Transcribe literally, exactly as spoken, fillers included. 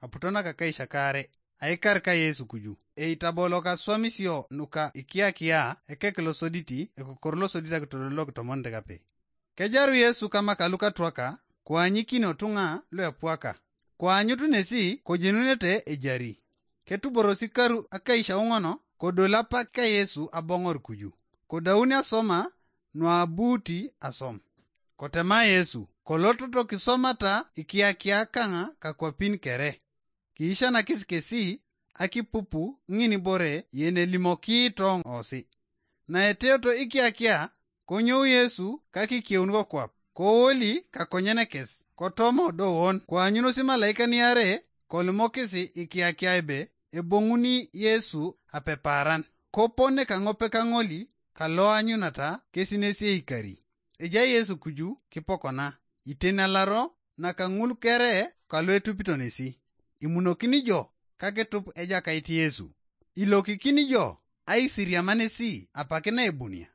aputo nakakaisha kaare, aikar ka Yesu kuju. Eitabolo kaswamisio nuka ikiakia ekek losoditi, ekokor losodit akitodolok tomon dekape. Kejaru Yesu kama kalukatwaka, koanyikino tung'a luepwaka. Koanyut nesi kojenunete ejari. Ketuborosi karu akaisha ung'ono, kodol apak ka Yesu aboŋor kuju. Kodauni asoma nuabuuti asom. Kotema Yesu, kolototo kisomata ikiakia kaŋa kakwapin kere. Kiicanakis kesi akipupu ŋinibore yenelimokito ŋosi. Naeteoto ikiakia, konyou Yesu kakikeun kokwap, kowoli kakonyenekes, kotomo dowon, koanyunos imalaika niare, kolimokis ikiakia ebe eboŋuni Yesu apepaaran. Kopone kaŋope kaŋoli kaloanyunata kesi nesi eikari. Ejai Yesu kuju kipokona, itenalaro naka ŋul kere kalu etupito nesi. Imunokini jo kakitup Ejakait Yesu. Ilokikini jo aisiriama nesi apak naebunia.